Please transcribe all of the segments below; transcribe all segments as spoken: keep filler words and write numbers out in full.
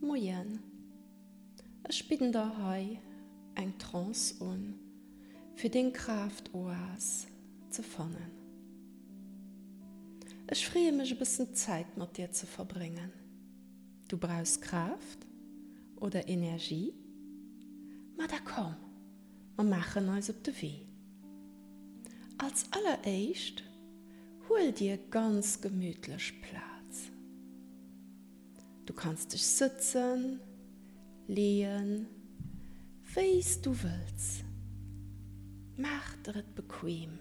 Moien, ech bidden der hei eng Trance un, fir deng Kraaft-Oas ze fannen. Ech freeë mech e bëssen Zäit mat dir ze verbréngen. Du brauchs Kraaft oder Energie? Ma da komm, mer maachen eis op de Wee. Als alleréischt huel dir ganz gemütlech Plaz. Du kanns dech sëtzen, leeën, wéi s du wëlls. Maach der et bequem.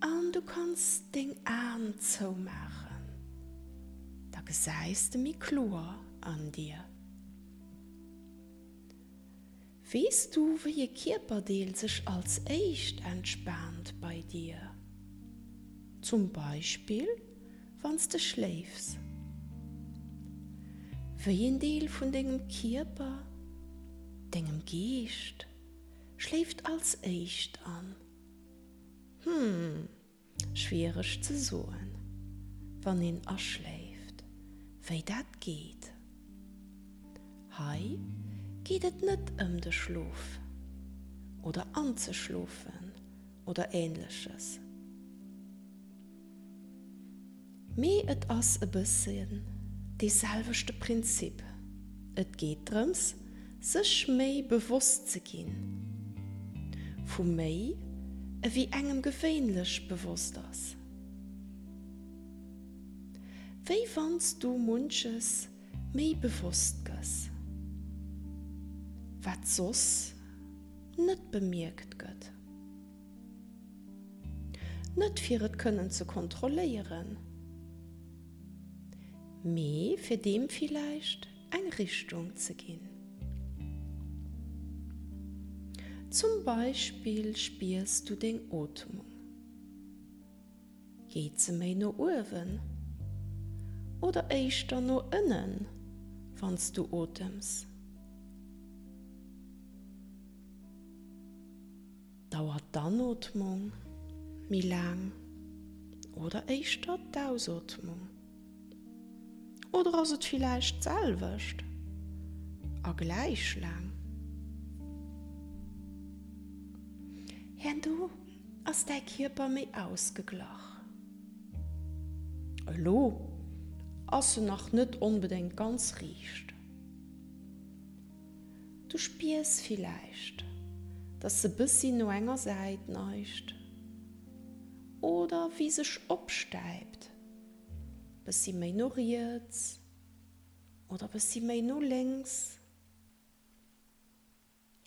An du kanns deng Aen zoumaachen, da gesäis de méi kloer an dir. Weess du wéi e Kierperdeel sech als éischt entspaant bei dir? Zum Beispill wann s de schléifs. Wéi een Deel vun dengem Kierper, dengem Geescht, schléift als éischt an? Hm, schwiereg ze soen, wann een aschléift, wéi dat geet. Hei geet et net ëm de Schlof oder anzeschlofen oder Ähnleches, mee et ass e bëssen dee selwechte Prinzip, et geet drëms, sech méi bewosst ze ginn vu méi ewéi engem gewéinlech bewosst ass. Wéi wann s du munches méi bewosst gëss, wat soss net bemierkt gëtt. Net fir et kënnen ze kontrolléieren, mee fir deem villäicht eng Richtung ze ginn. Zum Beispill spiers du deng Ootmung. Geet se méi no uewen oder éischter no ënnen, wann s du otems? Dauert d'Anootmung méi laang oder éischter d'Ausootmung? Oder ass et villäicht d'selwecht a gläich laang? Herno ass däi Kierper méi ausgeglach. Elo ass en nach net onbedéngt ganz riicht. Du spiers villäicht, dass se bëssi no enger Säit neigt oder wéi sech opstäipt, bëssi méi no riets oder bëssi méi no lénks.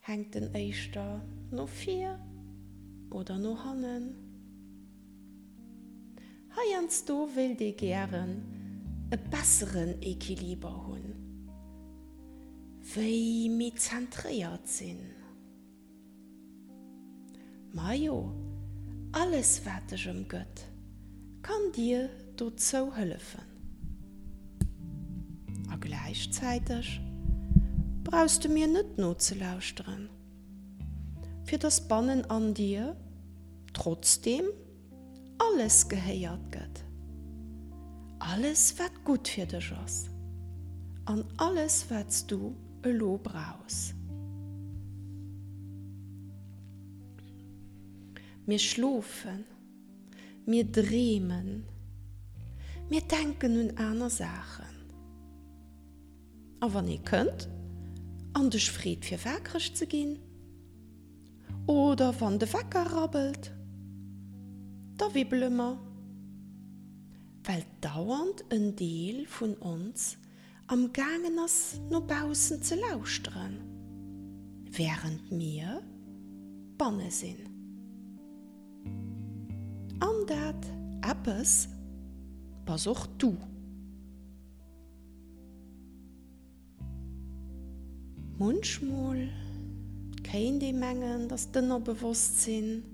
Hänkt en éischter no vir oder no hannen? Heiansdo wéilt ee gären e besseren Equiliber hunn, wéi méi zentréiert sinn. Majo, alles wat dech ëmgëtt, kann dir dozou hëllefen. A gläichzäiteg brauchs de mir net nozelauschteren, fir dass bannen an dir trotzdeem alles gehéiert gëtt, alles wat gutt fir dech ass an alles wat s du elo brauchs. Mir schlofen. Mir dreemen, mir denken un aner Saachen. A wann ee kënnt an dech freet fir waakreg ze ginn, oder wann de Wecker rabbelt, da wibbele mer, well dauernd en Deel vun ons am gaangen ass no baussen ze lauschteren, wärend mir banne sinn. An dat eppes bass och du. Munchmol kéint ee mengen, dass d'Ënnerbewosstsinn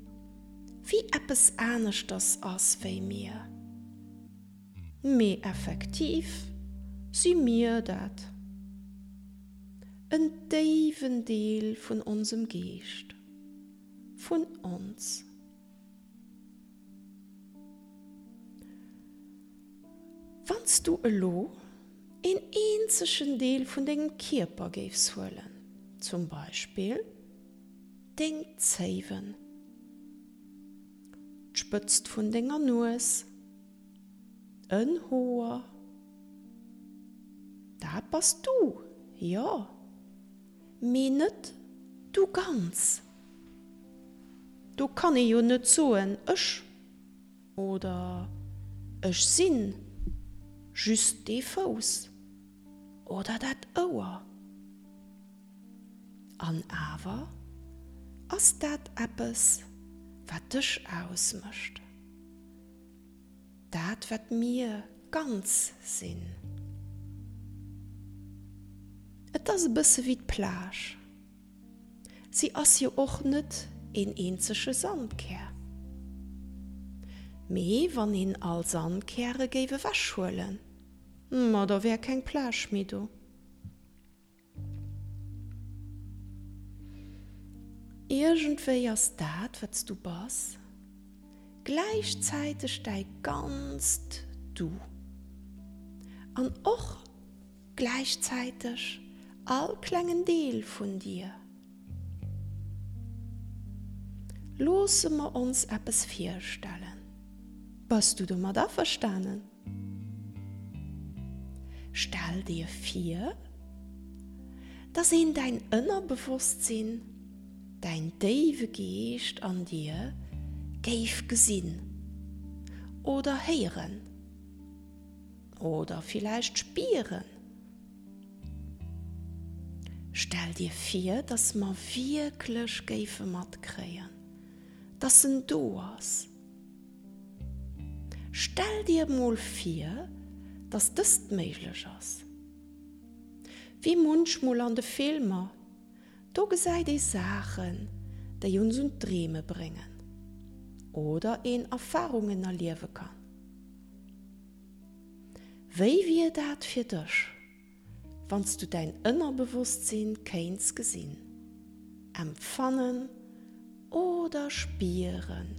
wéi eppes aneschters ass wéi mir. Mee effektiv si mir dat, en déiwen Deel vun onsem Geescht, vun ons. Wann s du elo een eenzegen Deel vun dengem Kierper géifs huelen, zum Beispill deng Zéiwen, d'Spëtzt vun denger Nues, en Hoer, dat bass du, jo, mee net du ganz. Do kann ee jo net soen, ech oder ech sinn just dee Fouss oder dat Ouer. An awer ass dat eppes, wat dech ausmécht, dat wat mir ganz sinn. Et ass e bësse wéi d'Plage. Si ass jo och net een eenzege Sandkär. Mee wann een all Sandkäre géif ewechhuelen, ma da wär keng Plage méi do. Iergendwéi ass dat, wat s du bass, gläichzäiteg däi ganzt Du. An och gläichzäiteg all klengen Deel vun dir. Loosse mer ons eppes virstellen. Bass du domat averstanen? Stell dir vir, dass een däin Ënnerbewosstsinn, däin déiwe Geescht an dir géif gesinn oder héieren oder villäicht spieren. Stell dir vir, dass mer wierklech géife matkréien, dass en do ass. Stell dir mol vir, dass dëst méiglech ass. Wéi munchmol an de Filmer, do gesäit ee Saachen, déi ons un d'Dreeme bréngen oder een Erfarungen erliewe kann. Wéi wier dat fir dech, wann s du däin Ënnerbewosstsinn kéints gesinn, empfannen oder spieren?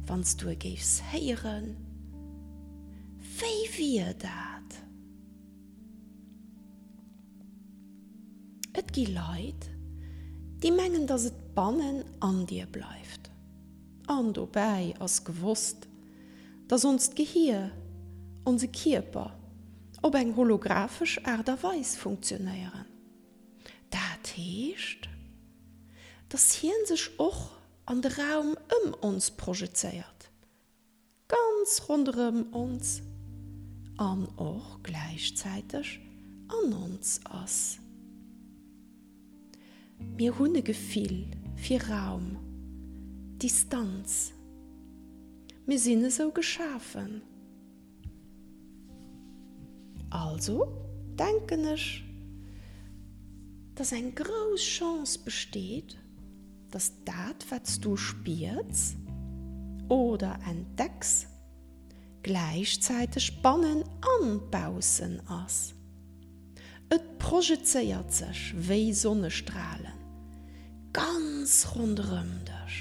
Wann s du e géifs héieren, wéi wier dat? Et gi Leit, déi mengen, dass et bannen an dir bleift. An dobäi ass gewosst, dass onst Gehier, onse Kierper op eng holographesch Aart a Weis funktionéieren. Dat heescht, dass hien sech och an de Raum ëm ons projezéiert, ganz ronderëm ons an och gläichzäiteg an ons ass. Mir hunn e Gefill fir Raum, Distanz. Mir sinn esou geschafen. Also denken ech, dass eng grouss Chance besteet, dass dat, wat s du spiers oder entdecks, gläichzäiteg bannen an baussen ass. Et projezéiert sech wéi Sonnestralen ganz ronderëm dech.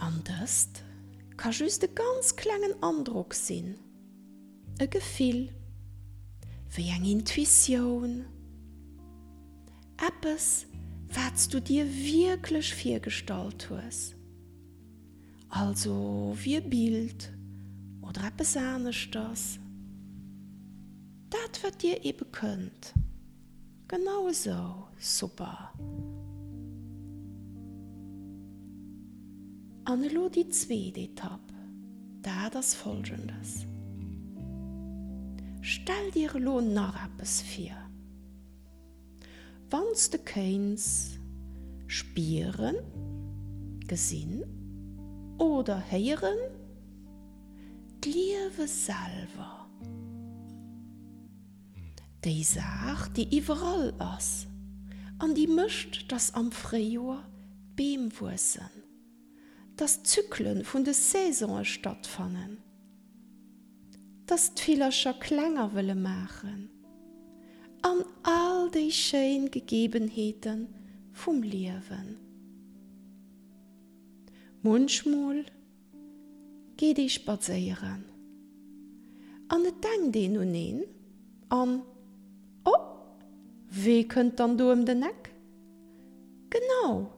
An dëst ka just e ganz klengen Androck sinn, e Gefill, wéi eng Intuitioun, eppes, wat s du dir wierklech virgestallt hues, also wéi e Bild oder eppes aneschters, dat wat dir ebe kënnt. Genau esou, super! An elo déi zweet Etapp, dat ass folgendes, Stell dir elo nach eppes vir, wann s de kéints spieren, gesinn oder héieren, d'Liewe selwer, déi Saach, déi iwwerall ass an déi mécht, dass am Fréijoer d'Beem wuessen, dass d'Zykle vun de Saisone stattfannen, dass d'Villercher Klenger wëlle maachen an all déi schéin Gegebenheete vum Liewen. Munchmol geet ee spadséieren an et denkt een un een an, oh, wee kënnt dann do ëm den Eck? Genau,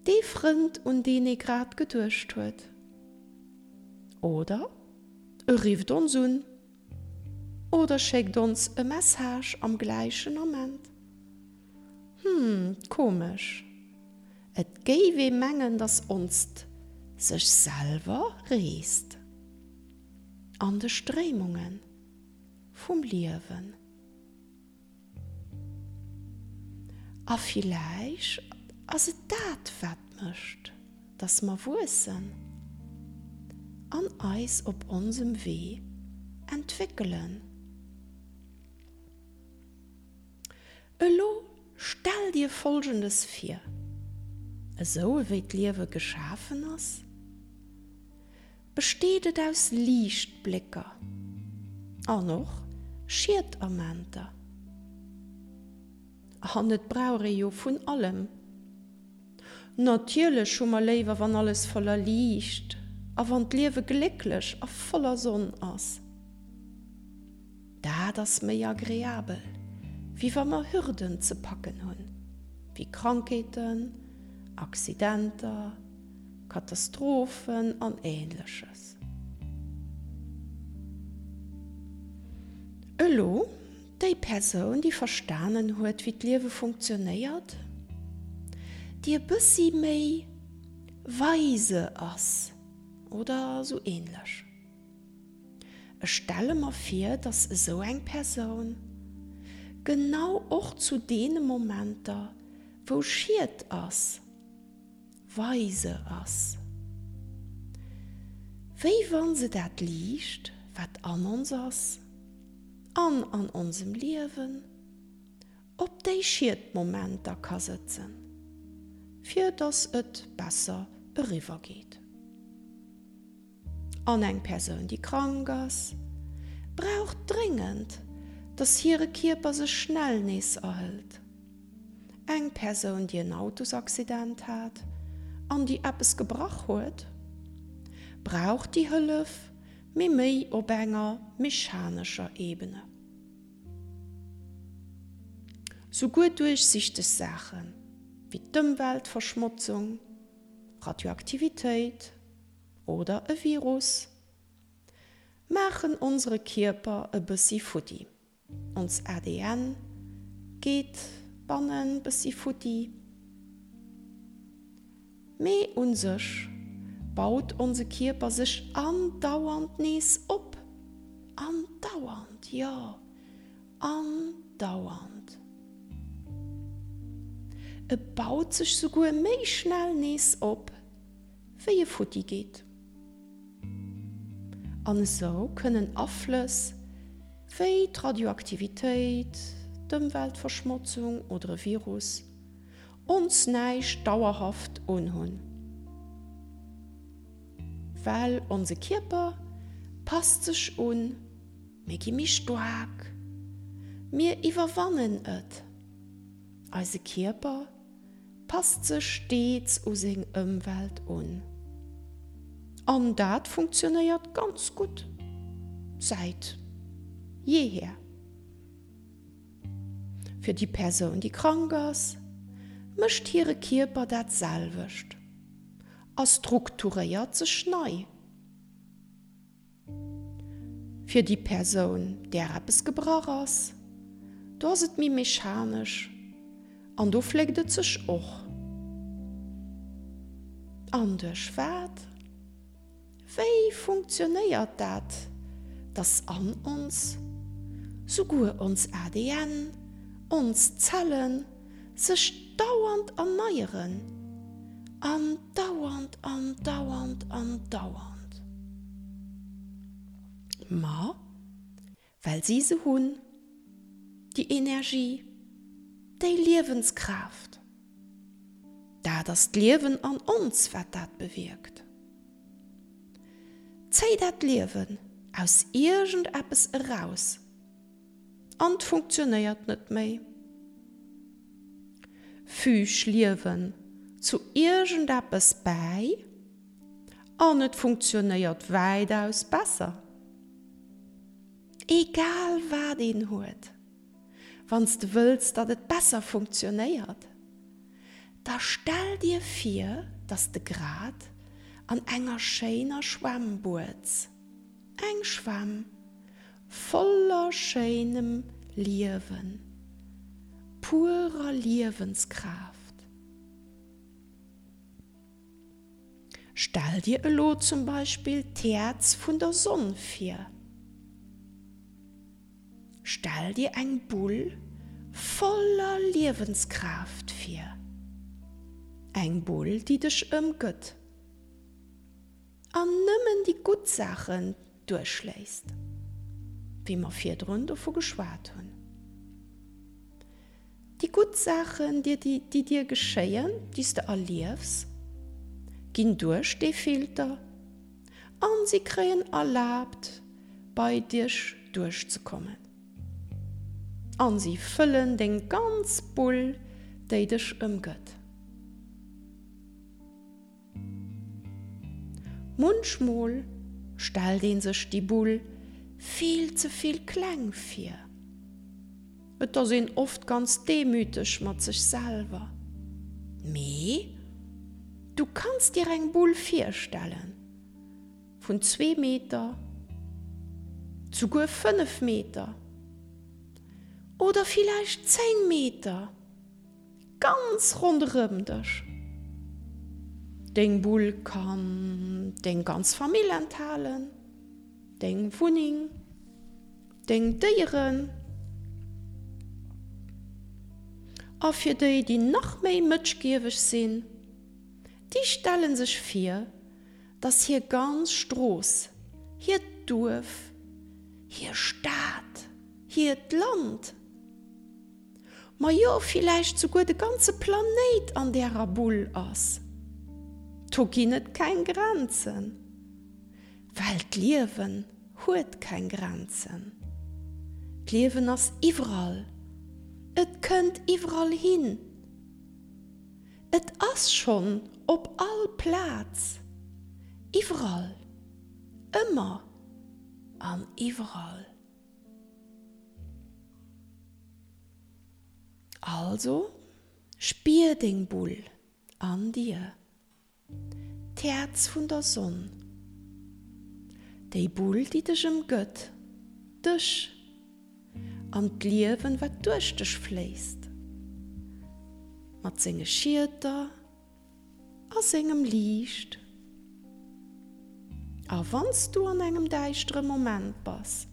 dee Frënd, un deen ee grad geduecht huet. Oder e rifft ons un oder schéckt ons e Message am gläichen Ament. Hm, komesch. Et géif ee mengen, dass onst sech selwer reest an de Stréimunge vum Liewen. A villäicht ass et dat, wat mécht, dass mer wuessen an eis op onsem Wee entwéckelen. Elo stell dir Folgendes vir, Esou ewéi d'Liewe geschafen ass, besteet et aus Liichtblécker an och Schiedamenter. An et brauch ee jo vun allem. Natierlech hu mer léiwer wann alles voller Liicht a wann d'Liewe glécklech a voller Sonn ass. Dat ass méi agreabel, wéi wa mer Hürden ze packen hunn, wéi Krankheeten, Accidenter, Katastrophen an Ähnleches. Elo, déi Persoun, déi verstanen huet, wéi d'Liewe funktionéiert, déi e bëssi méi weise ass oder sou ähnlech. Ech stelle mer vir, dass esou eng Persoun genau och zu deene Momenter, wou Schied ass, weise ass. Wéi wann se dat Liicht, wat an ons ass an an onsem Liewen, op déi Schiedmomenter ka sëtzen, fir dass et besser eriwwer geet. An eng Persoun, déi krank ass, brauch dréngend, dass hire Kierper sech schnell nees erhëlt. Eng Persoun, déi en Autosaccident hat an déi eppes gebrach huet, brauch déi Hëllef, mee méi op enger mechanescher Ebene. Souguer duerchsichteg Saache wéi d'Ëmweltverschmotzung, Radioaktivitéit oder e Virus maachen onsere Kierper e bëssi futti. Ons A D N geet bannen bëssi futti. Mee un sech baut onse Kierper sech andauernd nees op. Andauernd, jo, andauernd. E baut sech souguer méi schnell nees op, wéi e futti geet. An esou kënnen Aflëss wéi d'Radioaktivitéit, d'Ëmweltverschmotzung oder e Virus ons näischt dauerhaft unhunn. Well onse Kierper passt sech un, mir gi méi staark, mir iwwerwannen et. Eise Kierper passt sech stets u seng Ëmwelt un. An dat funktionéiert ganz gutt säit jeehier. Fir déi Persoun, déi krank ass, mécht hire Kierper dat selwecht a strukturéiert sech nei. Fir déi Persoun, där eppes gebrach ass, do ass et méi mechanesch an do fléckt et sech och. An duerch wat? Wéi funktionéiert dat, dass an ons, souguer ons A D N, ons Zellen, sech dauernd erneieren? Andauernd, andauernd, andauernd. Ma well si se hunn, déi Energie, déi Liewenskraaft. Dat ass d'Liewen an ons, wat dat bewierkt. Zéi dat Liewen aus iergendeppes eraus an 't funktionéiert net méi. Füg Liewen zu iergendeppes bäi An et funktionéiert wäitaus besser. Egal wat een huet, wann s de wëlls, datt et besser funktionéiert, da stell dir vir, datt s de grad an enger schéiner Schwämm bueds. Eng Schwämm voller schéinem Liewen, purer Liewenskraaft. Stell dir elo zum Beispill d'Häerz vun der Sonn vir. Stell dir eng Bull voller Liewenskraaft vir. Eng Bull, déi dech ëmgëtt an nëmmen déi gutt Saachen duerchléisst, wéi mer virdrun dovu geschwat hunn. Déi gutt Saachen, déi dir geschéien, déi s de erliefs, ginn duerch dee Filter an si kréien erlaabt, bei dech duerchzekommen. An si fëllen deng ganz Bull, déi dech ëmgëtt. Munchmol stellt ee sech déi Bull vill ze vill kleng vir. Et ass een oft ganz demüteg mat sech selwer. Mee du kanns dir eng Bull virstellen vun zwee Meter, souguer fënnef Meter oder villäicht zéng Meter ganz ronderëm dech. Deng Bull kann deng ganz Famill enthalen, deng Wunneng, deng Déieren. A fir déi, déi nach méi mëtschgieweg sinn, déi stelle sech vir, dass hir ganz Strooss, hiert Duerf, hir Stad, hiert Land, majo villäicht souguer de ganze Planéit an därer Bull ass. Do ginn et keng Grenzen, well d'Liewen huet keng Grenzen. D'Liewen ass iwwerall, et kënnt iwwerall hin, et ass schonn op all Plaz, iwwerall, ëmmer an iwwerall. Also, spier deng Bull an dir, d'Häerz vun der Sonn, déi Bull, déi dech ëmgëtt, dech an d'Liewen, wat duerch dech fléisst, mat senge Schieter a sengem Liicht. A wann s du an engem däischtere Moment bass,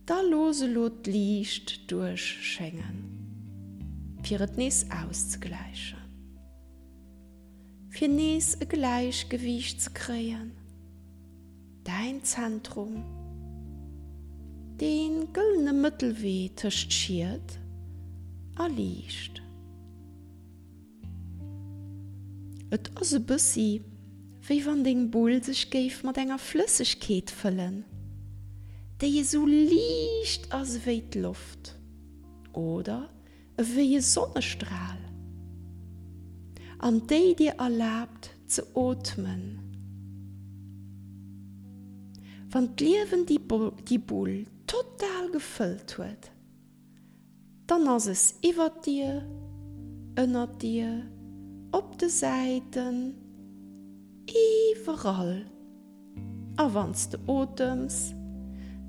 da looss elo d'Liicht duerchschéngen, fir et nees auszegläichen, fir nees e Gläichgewiicht ze kréien, däin Zentrum, dee gëllene Mëttelwee tëscht Schiet a Liicht. Et ass e bëssi wéi wann deng Bull sech géif mat enger Flëssegkeet fëllen, déi esou liicht ass ewéi d'Loft oder ewéi e Sonnestral an déi dir erlaabt ze ootmen. Wann d'Liewen déi Bull total gefëllt huet, Dann ass es iwwert dir, ënnert dir, op de Säiten, iwwerall. A wann s de otems,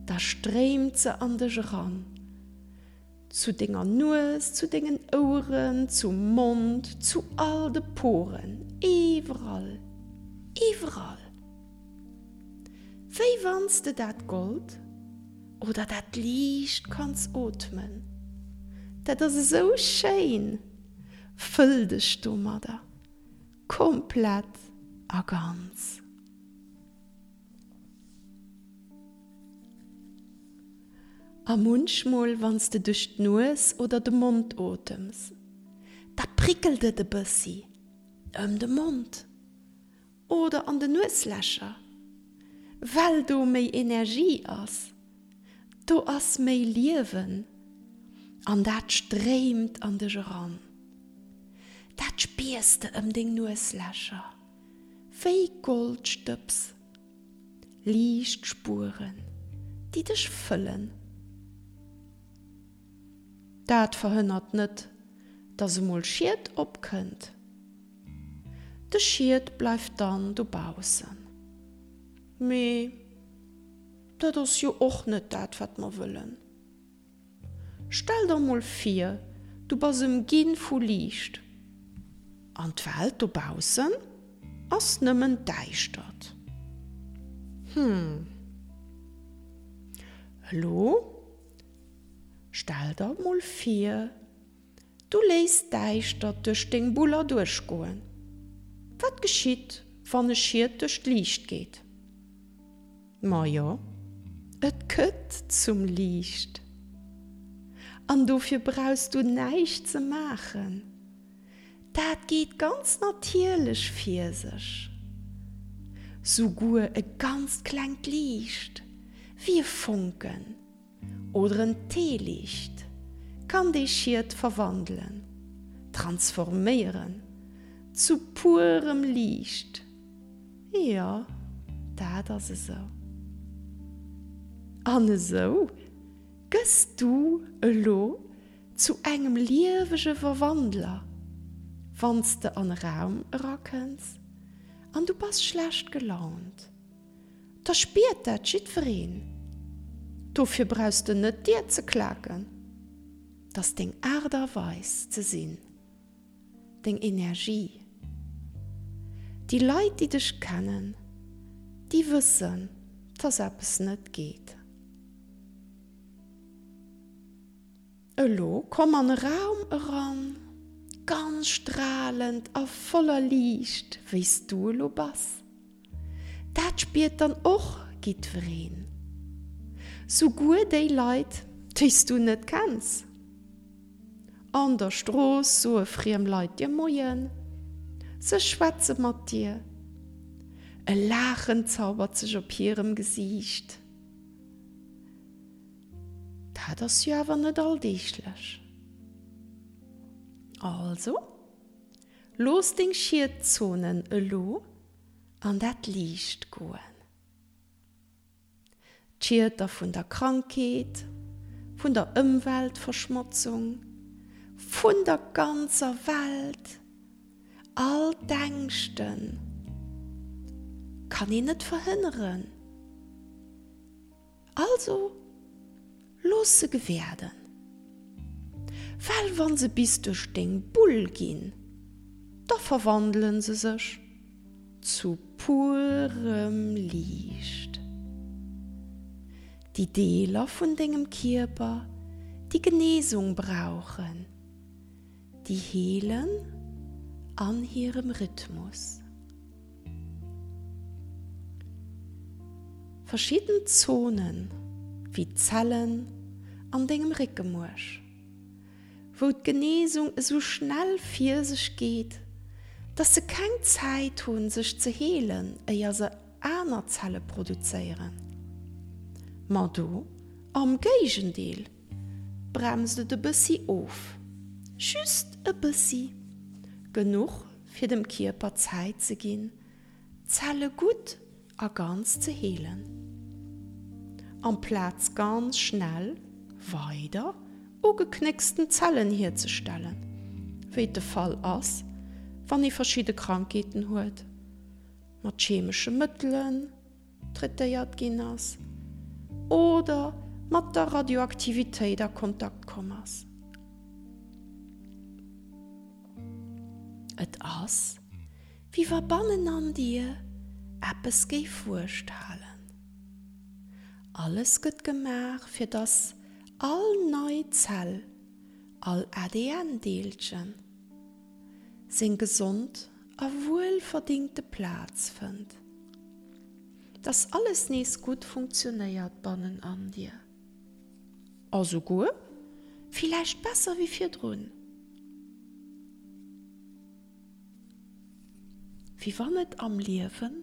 da stréimt se an dech eran, zu denger Nues, zu dengen Oueren, zum Mond, zu all de Poren, iwwerall, iwwerall. Wéi wann s de dat Gold oder dat Liicht kanns ootmen. Dat ass esou schéin! Fëll dech domadder komplett a ganz. A munchmol wann s de duerch d'Nues oder de Mond otems, da prickelt et e bëssi ëm de Mond. Oder an de Nueslächer, well do méi Energie ass, do ass méi Liewen an dat stréimt an dech eran. Dat spiers de ëm deng Nueslächer, wéi Goldstëbs. Liichtspueren, déi dech fëllen. Dat verhënnert net, dass emol Schied opkënnt. De Schied bleift dann dobaussen. Mee dat ass jo och net dat, wat mer wëllen. Stell der mol vir, du bass ëmginn vu Liicht an d'Welt dobaussen ass nëmmen Däischtert. Hm. Elo stell der mol vir, du léiss d'Däischtert duerch deng Bull erduerchgoen. Wat geschitt, wann e Schied duerch d'Liicht geet? Majo, et gëtt zum Liicht. An dofir brauchs du näischt ze maachen. Dat geet ganz natierlech vir sech. Souguer e ganzt klengt Liicht, wéi e Fonken oder en Teeliicht, kann dee Schiet verwandelen, transforméieren zu purem Liicht. Jo, dat ass esou. An esou gëss du elo zu engem liewege Verwandler, wann s de an e Raum erakënns an du bass schlecht gelaunt, da spiert dat jiddwereen. Dofir brauchs de net d'Dier ze klaken. 't ass deng Aart a Weis ze sinn, deng Energie. Déi Leit, déi dech kennen, déi wëssen, dass eppes net geet. Elo komm an e Raum eran, ganz stralend a voller Liicht, wéi s du elo bass. Dat spiert dann och jiddwereen, souguer déi Leit, déi s du net kenns. An der Strooss soe friem Leit dir Moien, se schwätze mat dir, e Laachen zaubert sech op hirem Gesiicht. Dat ass jo awer net alldeeglech. Also, looss deng Schietzonen elo an dat Liicht goen. D'Schieter vun der Krankheet, vun der Ëmweltverschmotzung, vun der ganzer Welt, all d'Ängschten kann een net verhënneren. Also looss se gewäerden, well wa se bis duerch deng Bull ginn, da verwandele se sech zu purem Liicht. Déi Deeler vun dengem Kierper, déi Genesung brauchen, déi heelen an hirem Rhythmus. Verschidden Zonen, wéi d'Zellen an dengem Réckemuerch, wou d'Genesung esou schnell vir sech geet, dass se keng Zäit hunn, sech ze heelen, éier se aner Zelle produzéieren. Ma do, am Géigendeel, bremst et e bëssi of, just e bëssi, genuch fir dem Kierper Zäit ze ginn, d'Zelle gutt a ganz ze heelen, amplaz ganz schnell weider ugeknécksten Zellen hierzestellen, wéi et de Fall ass, wann ee verschidde Krankheeten huet, mat chemesche Mëttelen traitéiert ginn ass oder mat der Radioaktivitéit a Kontakt komm ass. Et ass, wéi wa bannen an dir eppes géif Wuecht halen. Alles gëtt gemaach, fir dass all nei Zell, all A D N-Deelchen, seng gesond a wuelverdingte Plaz fënnt. Dass alles nees gutt funktionéiert bannen an dir. A souguer villäicht besser wéi virdrun. Wéi wann et am Liewen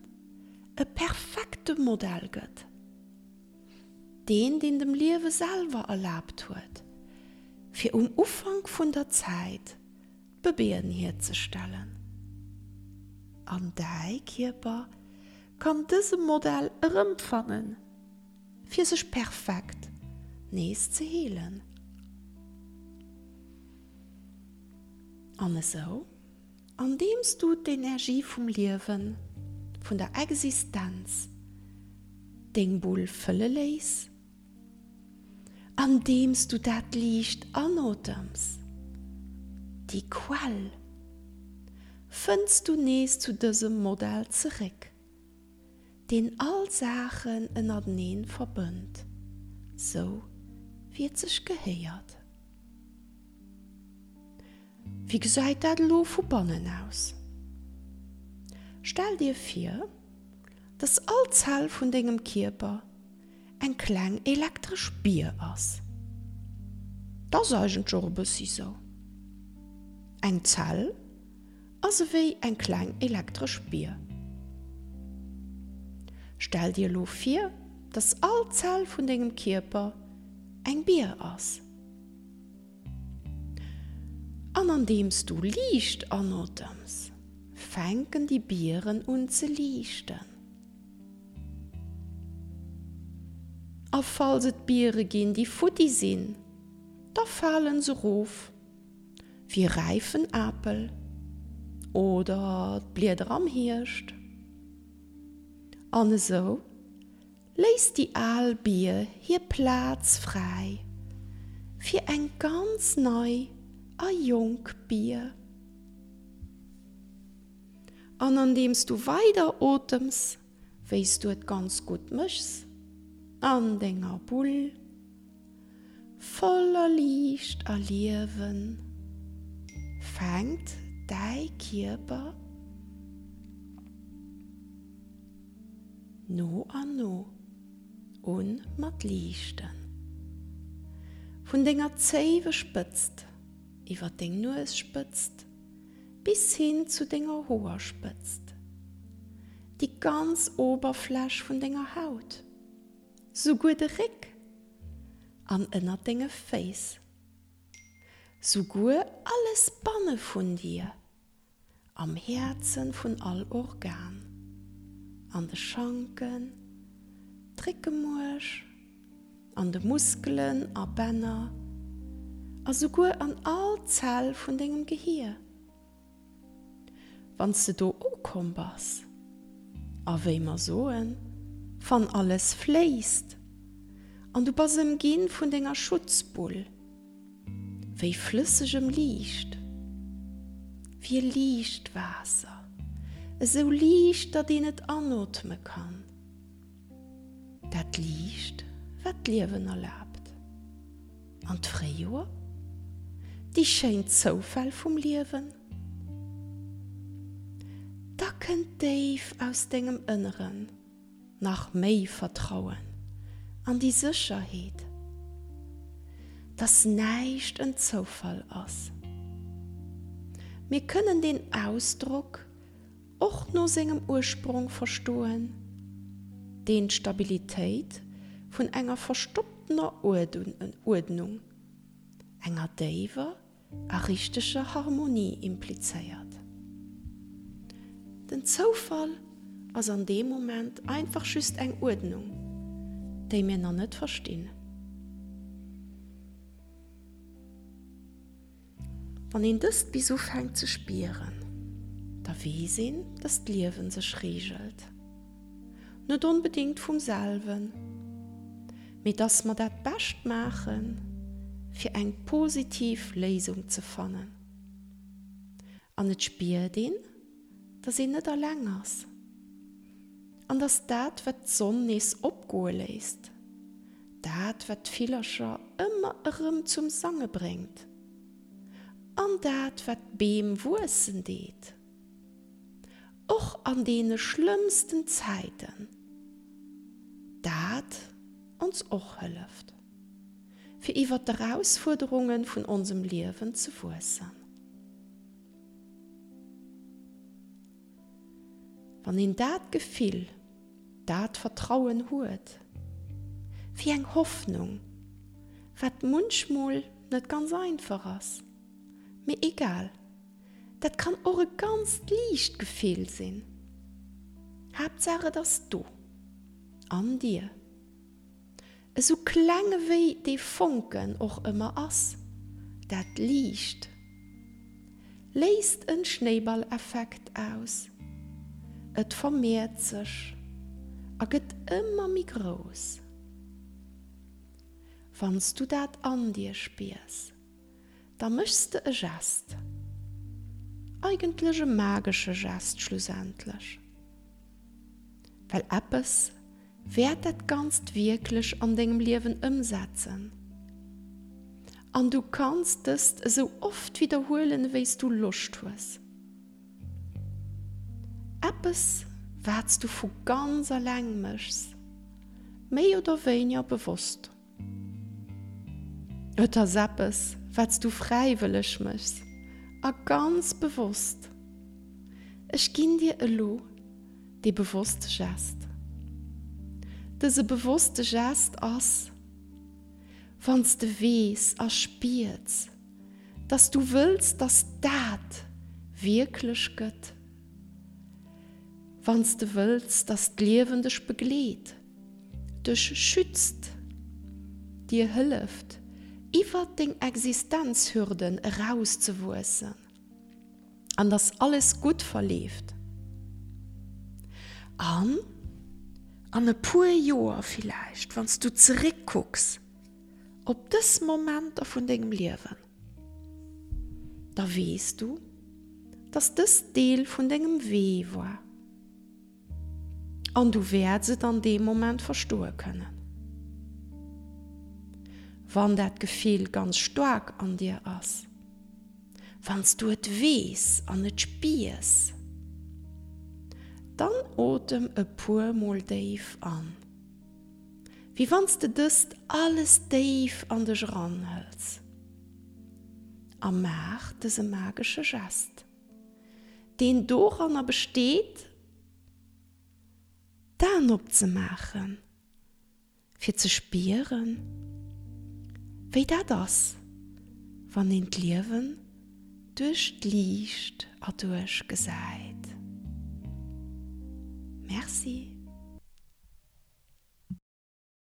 e perfekte Modell gëtt. Deen, deen dem Liewe selwer erlaabt huet, fir um Ufank vun der Zäit d'Bëbeeën hierzestellen. An däi Kierper kann dëse Modell erëmfannen, fir sech perfekt nees ze heelen. An esou, andeems du d'Energie vum Liewen, vun der Existenz, deng Bull fëlle léiss, andeems du dat Liicht anotems, déi Quell, fënns du nees zu dësem Modell zeréck, deen all Saachen ënnerteneen verbënnt, sou wéi et sech gehéiert. Wéi gesäit dat elo vu bannen aus? Stell dir vir, dass all Zell vun dengem Kierper eng kleng elektresch Bier ass. 't ass eigentlech och e bëssi sou. Eng Zell ass ewéi eng kleng elektresch Bier. Stell dir elo vir, dass all Zell vun dengem Kierper eng Bier ass. An andeems du Liicht anotems, fänken déi Bieren un ze liichten. A falls et Biere ginn, déi futti sinn, da falen se rof, wéi e räifen Apel oder d'Blieder am Hierscht. An esou léisst déi al Bier hir Plaz fräi fir eng ganz nei a jonk Bier. An andeems du weider otems, wéi s du et ganz gutt méchs, an denger Bull, voller Liicht a Liewen, fänkt däi Kierper no an no un mat liichten. Vun denger Zéiwespëtzt iwwer deng Nuesspëtzt bis hin zu denger Hoerspëtzt, déi ganz Oberfläch vun denger Haut, souguer de Réck an ënnert denge Féiss, souguer alles banne vun dir, am Häerzen vun all Organ, an de Schanken, d'Réckemuerch, an de Muskelen a Bänner, a souguer an all Zell vun dengem Gehier. Wann s de do ukomm bass, a wéi mer soen, wann alles fléisst an du bass ëmginn vun denger Schutzbull, wéi flëssegem Liicht, wéi e Liichtwaasser, esou liicht, datt een et anootme kann, dat Liicht, wat d'Liewen erlaabt. An d'Fréijoer? Déi schéin Zoufäll vum Liewen? Da kënnt déif aus dengem Ënneren nach méi Vertrauen an déi Sécherheet, dass näischt en Zoufall ass. Mir kënnen deen Ausdrock och no sengem Ursprong verstoen, deen d'Stabilitéit vun enger verstopptener Uerdnung, enger déiwer a richteger Harmonie implizéiert. Den Zoufall ass an deem Moment einfach just eng Uerdnung, déi mir nach net verstinn. Wann een dëst bis ufänkt ze spieren, da weess een, dass d'Liewen sech reegelt. Net onbedéngt vum selwen, mee dass mer dat Bescht maachen, fir eng positiv Léisung ze fannen. An et spiert een, dass een net alleng ass. An dass dat, wat d'Sonn nees opgoe léisst, dat, wat d'Villercher ëmmer erëm zum Sange bréngt, an dat, wat d'Beem wuessen deet, och an deene schlëmmsten Zäiten, dat ons och hëlleft, fir iwwer d'Erausfuerderunge vun onsem Liewen ze wuessen. Wann een dat Gefill, dat Vertrauen huet, wéi eng Hoffnung, wat munchmol net ganz einfach ass, mee egal, Dat kann och e ganzt liicht Gefill sinn. Haaptsaach et ass do. An dir. Esou kleng ewéi dee Fonken och ëmmer ass, dat Liicht léist en Schnéiballeffekt aus, et vermeert sech a gëtt ëmmer méi grouss. Wann s du dat an dir spiers, da méchs de e Gest. Eigentlech e magesche Gest schlussendlech. Well eppes wäert dat Ganzt wierklech an dengem Liewen ëmsetzen. An du kanns dëst esou oft widderhuelen ewéi s du Loscht hues. Eppes wat s du vu ganz alleng méchs, méi oder wéiniger bewosst. Et ass eppes, wat s du fräiwëlleg méchs a ganz bewosst. Ech ginn dir elo dee bewosste Gest. Dëse bewosste Gest ass, wann s de weess a spiers, dass du wëlls, dass dat wierklech gëtt. Wann s de wëlls, dass d'Liewen dech begleet, dech schützt, dir hëlleft, iwwert deng Existenzhürden erauszewuessen an dass alles gutt verleeft. An an e puer Joer villäicht, wann s du zeréckkucks op dës Momenter vun dengem Liewen, da weess du, dass dëst Deel vun dengem Wee war. An du wäerts et an deem Moment verstoe kënnen. Wann dat Gefill ganz staark an dir ass, wann s du et weess an et spiers, dann otem e puer mol déif an, wéi wann s de dëst alles déif an dech eranhëls, a maach dëse magesche Gest, deen doranner besteet, d'Aen opzemaachen, fir ze spieren, wéi dat ass, wann een d'Liewen duerch d'Liicht erduerch gesäit. Merci.